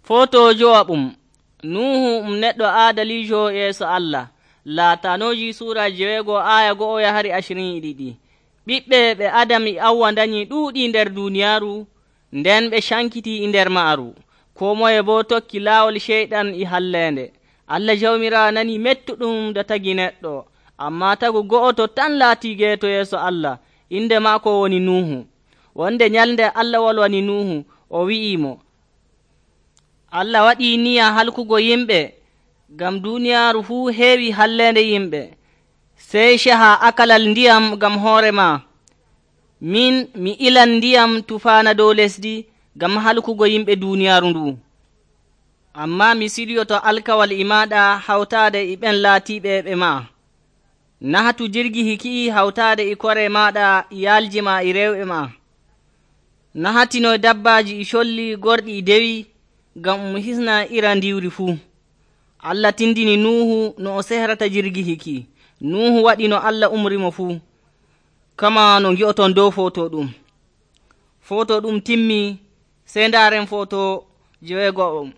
Foto jowaɓum Nuhu neɗɗo aadalijo yeeso Allah. Laatanoji sura 9 aya 1-22. Ɓiɓɓe ɓe Adam e Awwa danyi ɗuuɗi nder duniyaaru, nden ɓe cankiti e nder maaru. Koo moye boo tokki laawol ceyɗan e halleende. Allah Jawmiraawo nanii mettuɗum da tagi neɗɗo, ammaa tagu go'oto tan laatii geeto yeeso Allah, inde maako woni Nuhu. Wonde nyalnde Allah wolwani Nuhu, o wi'imo, Allah waɗii niya halkugo yimɓe, ngam duuniyaaru fuu heewi halleende yimɓe. Sey caha akalal ndiyam ngam hoore maa. Min mi ilan ndiyam tufaana dow lesdi ngam halkugo yimɓe duuniyaaru ndu. Ammaa mi siɗyoto alkawal e maaɗa hawtaade e ɓen laatiiɓe ɓe maa. Nahatu jirgi hiki'i hawtaade e kore maaɗa, yaalji maa e rewɓe maa. Nahatino dabbaaji e colli gorɗi e dewi, ngam hisna ira ndiwri fuu. Allah tindini Nuhu no o sehrata jirgi hiki. Nuhu waɗi no Allah umrimo fuu, kama no ngi'oton dow foto ɗum. Foto ɗum timmii, sey ndaaren foto 9.